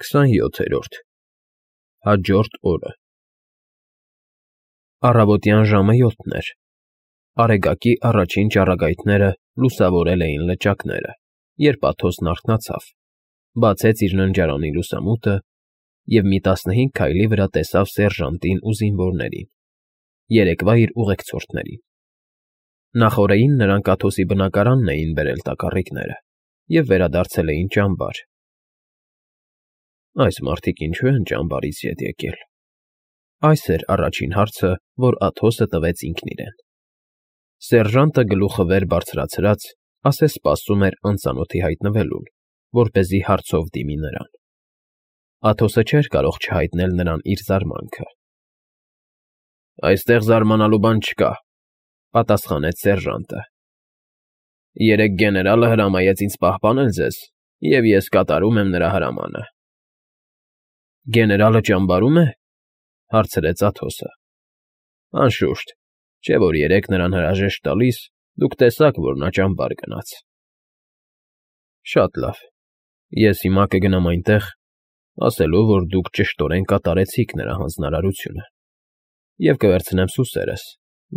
27-րդ Հաջորդ օրը Առավոտյան ժամը 7-ն էր։ Արեգակի առաջին ճառագայթները լուսավորել էին լճակները, երբ Աթոսն արթնացավ, բացեց իր ննջարանի լուսամուտը և մի 15 քայլի վրա տեսավ սերժանտին ու զինվորներին, երեկվա իր ուղեկցորդներին։ Նախօրեին նրանք Աթոսի բնակարանն էին բերել տակառիկները և վերադարձել էին ճամբար։ Այս մարդիկ ինչո՞ւ են ճամբարից ետ եկել։ Այս էր առաջին հարցը, որ Աթոսը տվեց ինքն իրեն։ Սերժանտը գլուխը վեր բարձրացրած, ասես սպասում էր անծանոթի հայտնվելուն, որպեսզի հարցով դիմի նրան։ Աթոսը չէր կարող չհայտնել նրան իր զարմանքը։ Այստեղ զարմանալու բան չկա, պատասխանեց սերժանտը։ Երեկ գեներալը հրամայեց ինձ պահպանել ձեզ, և ես կատարում եմ նրա հրամանը։ Գեներալը ճամբարում է, հարցրեց Աթոսը։ Անշուշտ, չէ՞ որ երեկ նրան հրաժեշտ տալիս, դուք տեսաք, որ նա ճամբար գնաց։ Շատ լավ, ես հիմա կգնամ այնտեղ, ասելով, որ դուք ճշտորեն կատարեցիք նրա հանձնարարությունը, և կվերցնեմ սուսերս,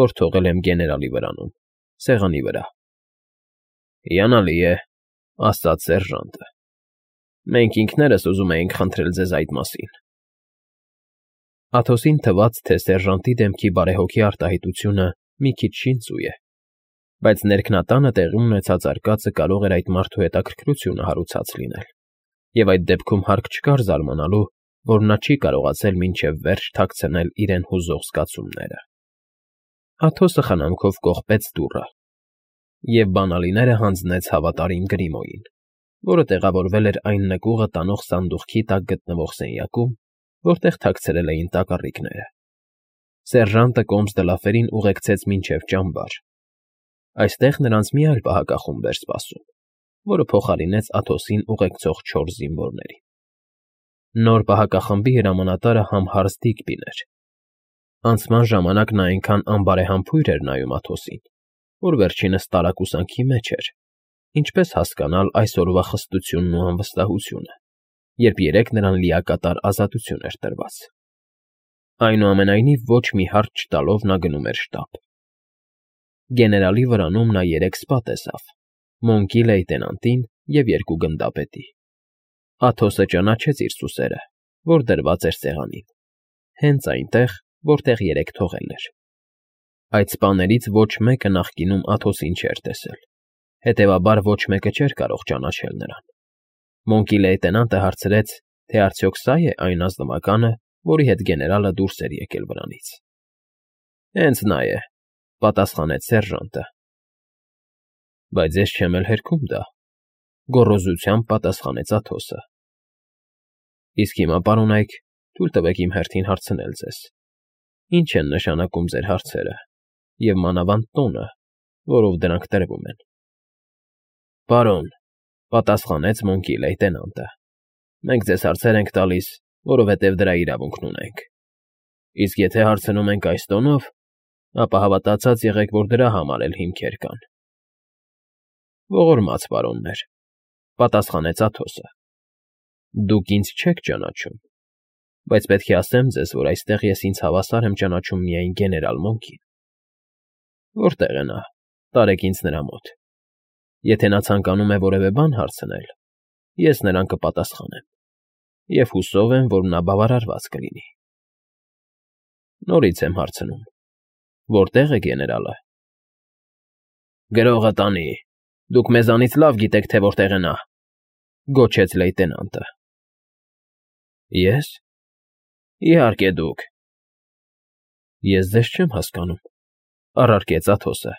որ թողել եմ գեներալի վրանում, սեղանի վրա։ Հիանալի է, ասաց սերժանտը։ Մենք ինքներս ուզում էինք խնդրել ձեզ այդ մասին։ Աթոսին թվաց, թե սերժանտի դեմքի բարեհոգի արտահայտությունը մի քիչ շինծու է, բայց ներքնատանը տեղի ունեցած արկածը կարող էր այդ մարդու հետաքրքրությունը հարուցած լինել, և այդ դեպքում հարկ չկար զարմանալու, որ նա չի կարողացել մինչև վերջ թաքցնել իրեն հուզող զգացումները։ Աթոսը խնամքով կողպեց դուռը և բանալիները հանձնեց հավատարիմ Գրիմոյին, որը տեղավորվել էր այն նկուղը տանող սանդուղքի տակ գտնվող սենյակում, որտեղ թաքցրել էին տակառիկները։ Սերժանտը կոմս֊դլաֆերին ուղեկցեց մինչև ճամբար։ Այստեղ նրանց մի այլ պահակախումբ էր սպասում, որը փոխարինեց Աթոսին ուղեկցող 4 զինվորներին։ Նոր պահակախմբի հրամանատարը համհարց Դիգբին էր։ Անցման ժամանակ նա այնքան անբարեհամբույր էր նայում Աթոսին, որ վերջինս տարակուսանքի մեջ էր, ինչպես հասկանալ այսօրվա խստությունն ու անվստահությունը, երբ երեկ նրան լիակատար ազատություն էր տրված։ Այնուամենայնիվ ոչ մի հարց չտալով նա գնում էր շտապ։ Գեներալի վրանում նա 3 սպա տեսավ՝ Մոնկի լեյտենանտին և 2 գնդապետի։ Աթոսը ճանաչեց իր սուսերը, որ դրված էր սեղանին, հենց այնտեղ, որտեղ երեկ թողել էր։ Այդ սպաներից ոչ մեկը նախկինում Աթոսին չէր տեսել, հետևաբար ոչ մեկը չէր կարող ճանաչել նրան։ Մոնկի լեյտենանտը հարցրեց, թե արդյոք սա՞ է այն ազնվականը, որի հետ գեներալը դուրս էր եկել վրանից։ Հենց նա է, պատասխանեց սերժանտը։ Բայց ես չեմ էլ հերքում դա, գոռոզությամբ պատասխանեց Աթոսը։ Իսկ հիմա, պարոնայք, թույլ տվեք իմ հերթին հարցնել ձեզ. ինչ են նշանակում ձեր հարցերը, և մանավանդ տոնը, որով դրանք տրվում են։ Պարոն, պատասխանեց Մոնկի լեյտենանտը, մենք ձեզ հարցեր ենք տալիս, որովհետև դրա իրավունքն ունենք։ Իսկ եթե հարցնում ենք այս տոնով, ապա հավատացած եղեք, որ դրա համար էլ հիմքեր կան։ Ողորմած պարոններ, պատասխանեց Աթոսը, դուք ինձ չեք ճանաչում, բայց պետք է ասեմ ձեզ, որ այստեղ ես ինձ հավասար եմ ճանաչում միայն գեներալ Մոնկին։ Որտե՞ղ է նա, տարեք ինձ նրա մոտ։ Եթե նա ցանկանում է որևէ բան հարցնել, ես նրան կպատասխանեմ, և հուսով եմ, որ նա բավարարված կլինի։ Նորից եմ հարցնում. որտե՞ղ է գեներալը։ Գրողը տանի, դուք մեզանից լավ գիտեք, թե որտեղ է նա, գոչեց լեյտենանտը։ Ես։ Իհարկե դուք։ Ես ձեզ չեմ հասկանում, առարկեց Աթոսը։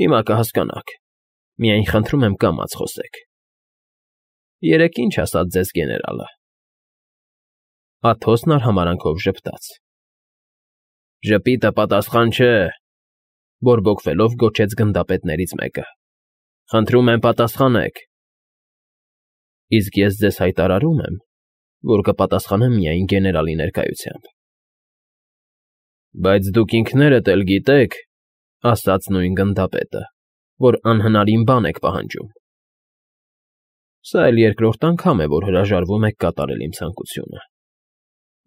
Հիմա կհասկանաք, միայն խնդրում եմ կամաց խոսեք։ Երեկ ինչ ասաց ձեզ գեներալը։ Աթոսն արհամարհանքով ժպտաց։ Ժպիտը պատասխան չէ, բորբոքվելով գոչեց գնդապետներից մեկը։ Խնդրում եմ պատասխանեք։ Իսկ ես ձեզ հայտարարում եմ, որ կպատասխանեմ միայն գեներալի ներկայությամբ։ Բայց դուք ինքներդ էլ գիտեք, ասաց նույն գնդապետը, որ անհնարին բան եք պահանջում։ Սա էլ երկրորդ անգամ է, որ հրաժարվում եք կատարել իմ ցանկությունը։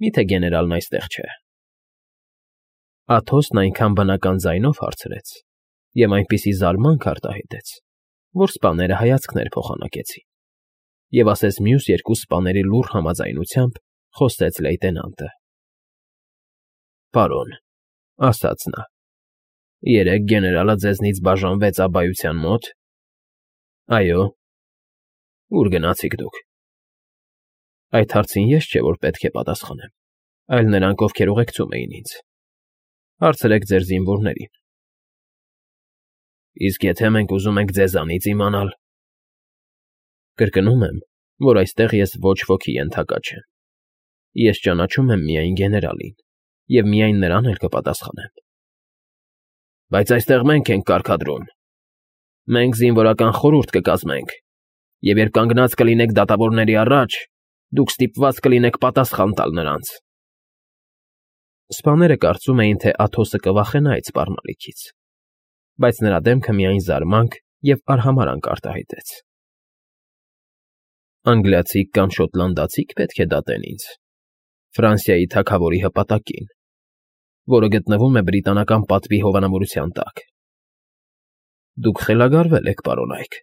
Միթե գեներալն այստեղ չէ։ Աթոսն այնքան բնական ձայնով հարցրեց և այնպիսի զարմանք արտահայտեց, որ սպաները հայացքներ փոխանակեցին, և ասես մյուս երկու սպաների լուռ համաձայնությամբ խոսեց լեյտենանտը։ Պարոն, ասաց նա, երեկ գեներալը ձեզնից բաժանվեց Աբայության մոտ։ Այո։ Ո՞ւր գնացիք դուք։ Այդ հարցին ես չէ, որ պետք է պատասխանեմ, այլ նրանք, ովքեր ուղեկցում էին ինձ։ Հարցրեք ձեր զինվորներին։ Իսկ եթե մենք ուզում ենք ձեզանից իմանալ։ Կրկնում եմ, որ այստեղ ես ոչ ոքի ենթակա չեմ։ Ես ճանաչում եմ միայն գեներալին, և միայն նրան էլ կպատասխանեմ։ Բայց այստեղ մենք ենք կարգադրում։ Մենք զինվորական խորհուրդ կկազմենք, և երբ կանգնած կլինեք դատավորների առաջ, դուք ստիպված կլինեք պատասխան տալ նրանց։ Սպաները կարծում էին, թե Աթոսը կվախենա այդ սպառնալիքից, բայց նրա դեմքը միայն զարմանք և արհամարհանք արտահայտեց։ Անգլիացիք կամ շոտլանդացիք պետք է դատեն ինձ, Ֆրանսիայի թագավորի հպատակին, որը գտնվում է բրիտանական պատվի հովանավորության տակ։ Դուք խելագարվել եք, պարոն Այք,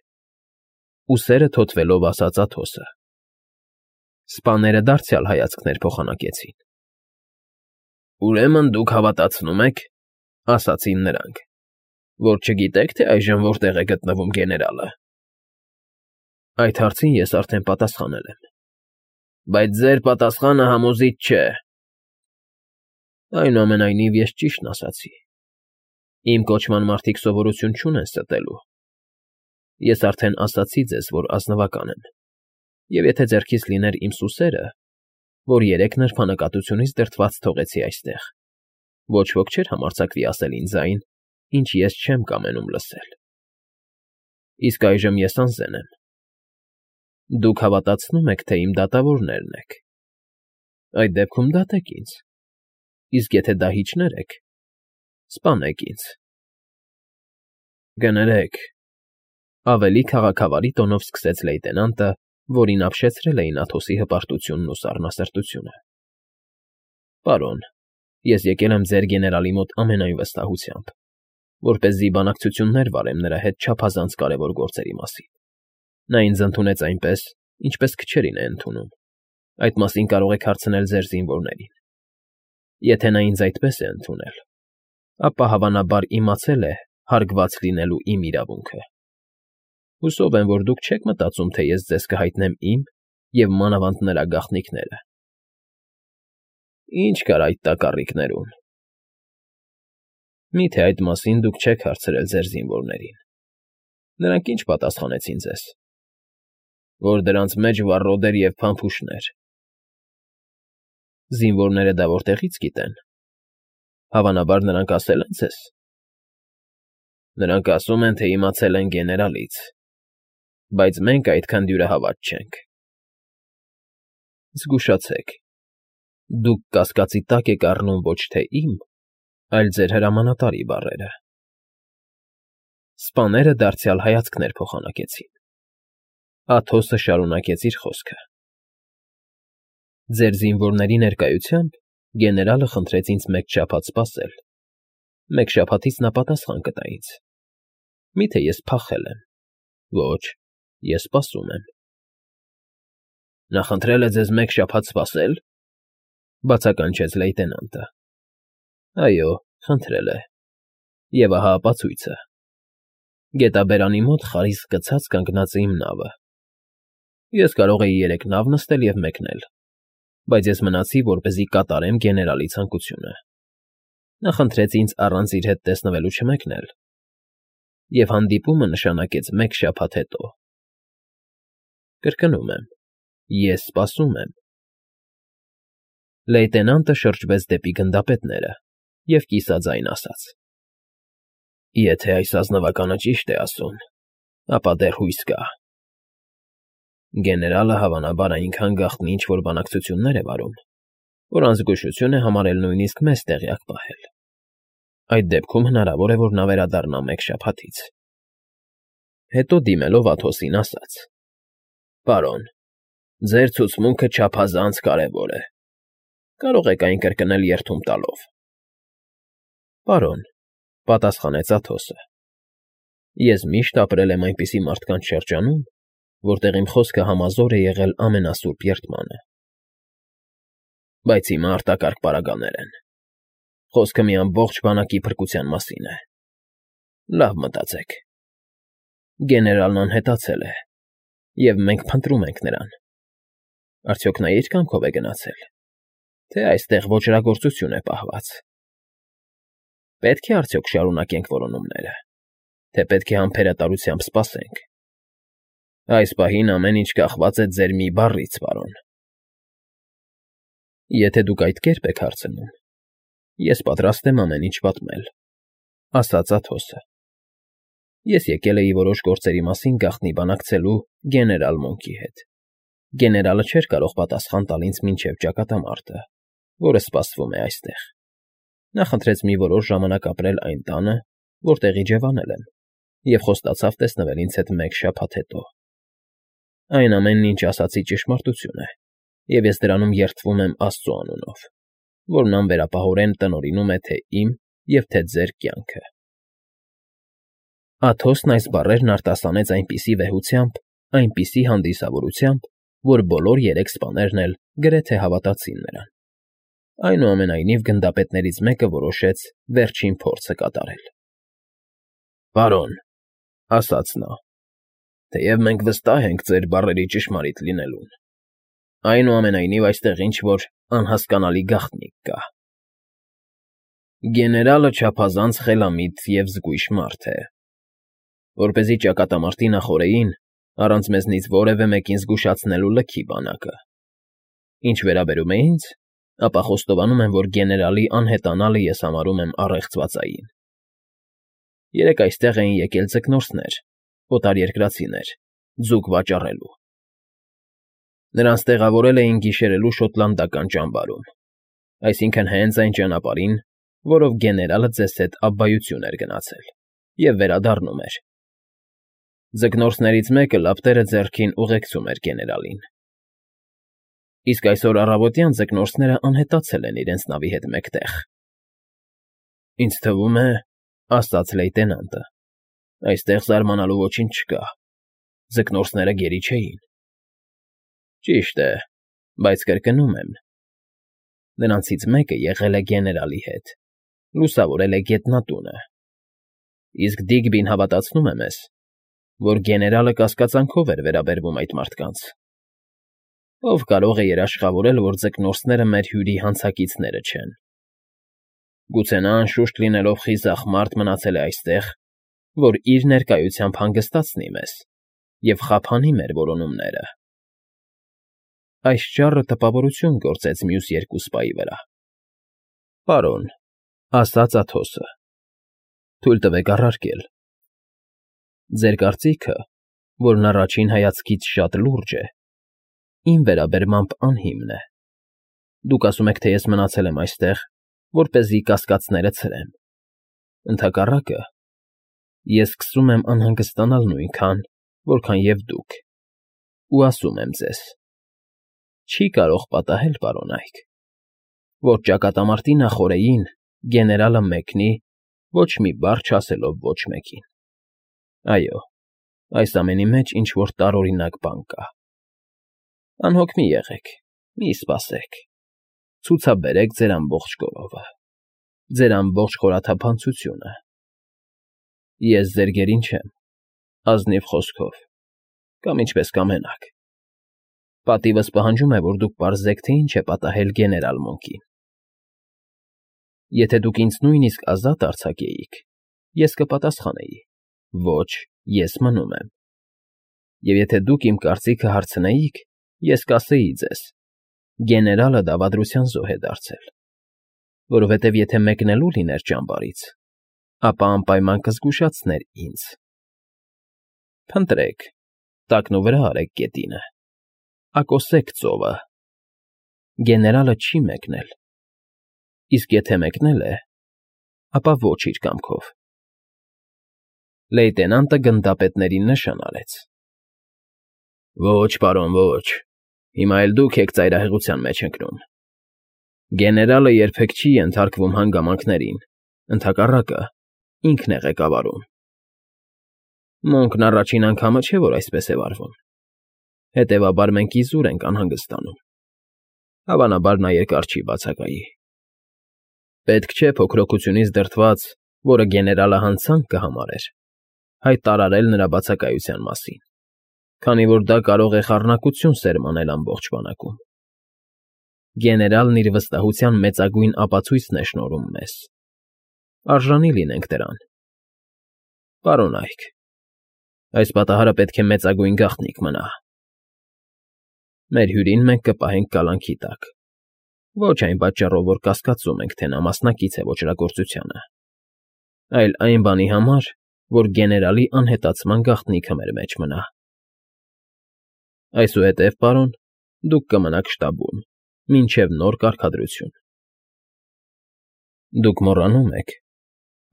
ուսերը թոթվելով ասաց Աթոսը։ Սպաները դարձյալ հայացքներ փոխանակեցին։ Ուրեմն դուք հավատացնում եք, ասացին նրանք, որ չգիտեք, թե այժմ որտեղ է գտնվում գեներալը։ Այդ հարցին ես արդեն պատասխանել եմ։ Բայց ձեր պատասխանը համոզիչ չէ։ Այնուամենայնիվ ես ճիշտն ասացի։ Իմ կոչման մարդիկ սովորություն չունեն ստելու։ Ես արդեն ասացի ձեզ, որ ազնվական եմ, և եթե ձեռքից լիներ իմ սուսերը, որ երեք նրբանկատությունից դրդված թողեցի այստեղ, ոչ ոք չէր համարձակվի ասել ինձ այն, ինչ ես չեմ կամենում լսել։ Իսկ այժմ ես անզեն եմ։ Դուք հավատացնում եք, թե իմ դատավորներն եք։ Այդ դեպքում դատեք ինձ, իսկ եթե դահիճներ եք, սպանեք ինձ։ Կներեք, ավելի քաղաքավարի տոնով սկսեց լեյտենանտը, որին ապշեցրել էին Աթոսի հպարտությունն ու սառնասրտությունը։ Պարոն, ես եկել եմ ձեր գեներալի մոտ ամենայն վստահությամբ, որպեսզի բանակցություններ վարեմ նրա հետ չափազանց կարևոր գործերի մասին։ Նա ինձ ընդունեց այնպես, ինչպես քչերին է ընդունում։ Այդ մասին կարող եք հարցնել ձեր զինվորներին։ Եթե նա ինձ այդպես է ընդունել, ապա հավանաբար իմացել է հարգված լինելու իմ իրավունքը։ Հուսով եմ, որ դուք չեք մտածում, թե ես ձեզ կհայտնեմ իմ և մանավանդ նրա գաղտնիքները։ Ինչ կար այդ տակառիկներում։ Միթե այդ մասին դուք չեք հարցրել ձեր զինվորներին։ Նրանք ինչ պատասխանեցին ձեզ։ Որ դրանց մեջ վառոդեր և փամփուշտներ։ Զինվորները դա որտեղից գիտեն։ Հավանաբար նրանք ասել են ձեզ։ Նրանք ասում են, թե իմացել են գեներալից, բայց մենք այդքան դյուրահավատ չենք։ Զգուշացեք, դուք կասկածի տակ եք առնում ոչ թե իմ, այլ ձեր հրամանատարի բառերը։ Սպաները դարձյալ հայացքներ փոխանակեցին։ Աթոսը շարունակեց իր խոսքը։ Ձեր զինվորների ներկայությամբ գեներալը խնդրեց ինձ մեկ շաբաթ սպասել։ Մեկ շաբաթից նա պատասխան կտա ինձ։ Միթե ես փախել եմ։ Ոչ, ես սպասում եմ։ Նա խնդրել է ձեզ մեկ շաբաթ սպասել, բացականչեց լեյտենանտը։ Այո, խնդրել է։ Եվ ահա ապացույցը։ Գետաբերանի մոտ խարիսկ գցած կանգնած է իմ նավը։ Ես կարող էի երեք նավ նստել և մեկնել, բայց ես մնացի, որպեսզի կատարեմ գեներալի ցանկությունը։ Նա խնդրեց ինձ առանց իր հետ տեսնվելու չմեկնել, և հանդիպումը նշանակեց մեկ շաբաթ հետո։ Կրկնում եմ, ես սպասում եմ։ Լեյտենանտը շրջվեց դեպի գնդապետները և կիսաձայն ասաց. Եթե այս ազնվականը ճիշտ է ասում, ապա դեռ հույս կա։ Գեներալը հավանաբար այնքան գաղտնի ինչ-որ բանակցություններ է վարում, որ անզգուշություն է համարել նույնիսկ մեզ տեղյակ պահել։ Այդ դեպքում հնարավոր է, որ նա վերադառնա մեկ շաբաթից։ Հետո դիմելով Աթոսին ասաց. Պարոն, ձեր ցուցմունքը չափազանց կարևոր է։ Կարող եք այն կրկնել երդում տալով։ Պարոն, պատասխանեց Աթոսը, ես միշտ ապրել եմ այնպիսի մարդկանց շրջանում, որտեղ իմ խոսքը համազոր է եղել ամենասուրբ երդմանը։ Բայց հիմա արտակարգ պարագաներ են։ Խոսքը մի ամբողջ բանակի փրկության մասին է։ Լավ մտածեք։ Գեներալն անհետացել է, և մենք փնտրում ենք նրան։ Արդյոք նա իր կամքով է գնացել, թե այստեղ ոճրագործություն է պահված։ Պետք է արդյոք շարունակենք որոնումները, թե պետք է համբերատարությամբ սպասենք։ Այս պահին ամեն ինչ կախված է ձեր մի բառից, պարոն։ Եթե դուք այդ կերպ եք հարցնում, ես պատրաստ եմ ամեն ինչ պատմել, ասաց Աթոսը։ Ես եկել էի որոշ գործերի մասին գաղտնի բանակցելու գեներալ Մոնքի հետ։ Գեներալը չէր կարող պատասխան տալ ինձ մինչև ճակատամարտը, որը սպասվում է այստեղ։ Նա խնդրեց մի որոշ ժամանակ ապրել այն տանը, որտեղ իջևանել եմ, և խոստացավ տեսնվել ինձ հետ մեկ շաբաթ հետո։ Այն ամենն, ինչ ասացի, ճշմարտություն է, և ես դրանում երդվում եմ Աստծու անունով, որն անվերապահորեն տնօրինում է թե իմ և թե ձեր կյանքը։ Աթոսն այս բառերն արտասանեց այնպիսի վեհությամբ, այնպիսի հանդիսավորությամբ, որ բոլոր երեք սպաներն էլ գրեթե հավատացին նրան։ Այնուամենայնիվ գնդապետներից մեկը որոշեց վերջին փորձը կատարել։ Պարոն, ասաց նա, թեև մենք վստահ ենք ձեր բառերի ճշմարիտ լինելուն, այնուամենայնիվ այստեղ ինչ-որ անհասկանալի գաղտնիք կա։ Գեներալը չափազանց խելամիտ և զգույշ մարդ է։ Որպեսզի ճակատամարտի նախօրեին առանց մեզնից որևէ մեկին զգուշացնելու լքի բանակը։ Ինչ վերաբերում է ինձ, ապա խոստովանում եմ, որ գեներալի անհետանալը ես համարում եմ առեղծվածային։ Երեկ այստեղ էին եկել ձկնորսներ, օտարերկրացիներ, ձուկ վաճառելու։ Նրանց տեղավորել էին գիշերելու շոտլանդական ճամբարում, այսինքն հենց այն ճանապարհին, որով գեներալը ձեզ հետ աբբայություն էր գնացել, և վերադառնում էր։ Ձկնորսներից մեկը լապտերը ձեռքին ուղեկցում էր գեներալին։ Իսկ այսօր առավոտյան ձկնորսները անհետացել են իրենց նավի հետ մեկտեղ։ Ինձ թվում է, ասաց լեյտենանտը, այստեղ զարմանալու ոչինչ չկա։ Ձկնորսները գերի չէին։ Ճիշտ է, բայց կրկնում եմ, նրանցից մեկը եղել է գեներալի հետ, լուսավորել է գետնատունը։ Իսկ Դիգբին հավատացնում է մեզ, որ գեներալը կասկածանքով էր վերաբերվում այդ մարդկանց։ Ով կարող է երաշխավորել, որ ձկնորսները մեր հյուրի հանցակիցները չեն։ Գուցե նա անշուշտ լինելով խիզախ մարդ մնացել է այստեղ, որ իր ներկայությամբ հանգստացնի մեզ և խափանի մեր որոնումները։ Այս ճառը տպավորություն գործեց մյուս երկու սպայի վրա։ Պարոն, ասաց Աթոսը, թույլ տվեք առարկել։ Ձեր կարծիքը, որն առաջին հայացքից շատ լուրջ է, իմ վերաբերմամբ անհիմն է։ Դուք ասում եք, թե ես մնացել եմ այստեղ, որպեսզի կասկածները ցրեմ։ Ընդհակառակը, ես սկսում եմ անհանգստանալ նույնքան, որքան և դուք, ու ասում եմ ձեզ. չի կարող պատահել, պարոն Այք, որ ճակատամարտի նախօրեին գեներալը մեկնի, ոչ մի բառ չասելով ոչ մեկին։ Այո, այս ամենի մեջ ինչ-որ տարօրինակ բան կա։ Անհոգ մի եղեք, մի սպասեք, ցուցաբերեք ձեր ամբողջ գովը, ձեր ամբողջ խորաթափանցությունը։ Ես ձեր գերին չեմ, ազնիվ խոսքով, կամ ինչպես կամենաք։ Պատիվս պահանջում է, որ դուք պարզեք, թե ինչ է պատահել գեներալ Մոնքին։ Եթե դուք ինձ նույնիսկ ազատ արձակեիք, ես կպատասխանեի. ոչ, ես մնում եմ։ Եվ եթե դուք իմ կարծիքը հարցնեիք, ես կասեի ձեզ. գեներալը դավադրության զոհ է դարձել, որովհետև եթե մեկնելու լիներ ճամբարից, ապա անպայման կզգուշացներ ինձ։ Փնտրեք, տակնուվրա արեք գետինը, ակոսեք ծովը։ Գեներալը չի մեկնել, իսկ եթե մեկնել է, ապա ոչ իր կամքով։ Լեյտենանտը գնդապետներին նշան արեց։ Ոչ, պարոն, ոչ, հիմա էլ դուք եք ծայրահեղության մեջ ընկնում։ Գեներալը երբեք չի ենթարկվում հանգամանքներին, ընդհակառակը, ինքն է ղեկավարում։ Մոնկն առաջին անգամը չէ, որ այսպես է վարվում։ Հետևաբար մենք իզուր ենք անհանգստանում։ Հավանաբար նա երկար չի բացակայի։ Պետք չէ փոքրօգությունից դրդված, որը գեներալը հանցանք կհամարեր, հայտարարել նրա բացակայության մասին, քանի որ դա կարող է խառնակություն սերմանել ամբողջ բանակում։ Գեներալն իր վստահության մեծագույն ապացույցն է շնորհում մեզ։ Արժանի լինենք դրան։ Պարոն Այք, այս պատահարը պետք է մեծագույն գաղտնիք մնա։ Մեր հյուրին մենք կպահենք կալանքի տակ, ոչ այն պատճառով, որ կասկածում ենք, թե նա մասնակից է ոճրագործությանը, այլ այն բանի համար, որ գեներալի անհետացման գաղտնիքը մեր մեջ մնա։ Այսուհետև, պարոն, դուք կմնաք շտաբում, մինչև նոր կարգադրություն։ Դուք մոռանում եք,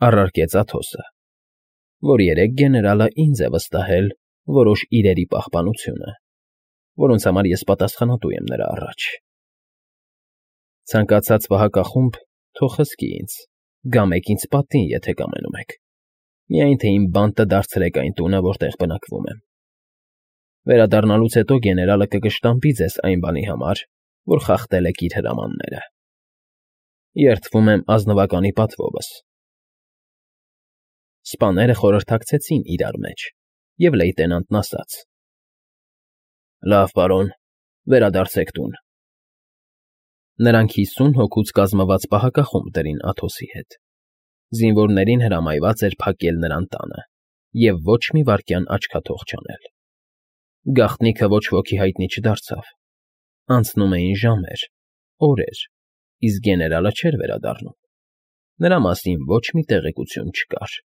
առարկեց Աթոսը, որ երեք գեներալը ինձ է վստահել որոշ իրերի պահպանությունը, որոնց համար ես պատասխանատու եմ նրա առաջ։ Ցանկացած վհակախումբ թող խսկի ինձ, գամեք ինձ պատին, եթե կամենում եք, միայն թե իմ բանտը դարձրեք այն տունը, որտեղ բնակվում եմ։ Վերադառնալուց հետո գեներալը կկշտամբի ձեզ այն բանի համար, որ խախտել եք իր հրամանները։ Երդվում եմ ազնվականի պատվովս։ Սպաները խորհրդակցեցին իրար մեջ, և լեյտենանտն ասաց. Լավ, պարոն, վերադարձեք տուն։ Նրանք 50 հոգուց կազմված պահակախումբ դրին Աթոսի հետ։ Զինվորներին հրամայված էր փակել նրան տանը և ոչ մի վայրկյան աչքաթող չանել։ Գաղտնիքը ոչ ոքի հայտնի չդարձավ։ Անցնում էին ժամեր, օրեր, իսկ գեներալը չէր վերադառնում։ Նրա մասին ոչ մի տեղեկություն չկար։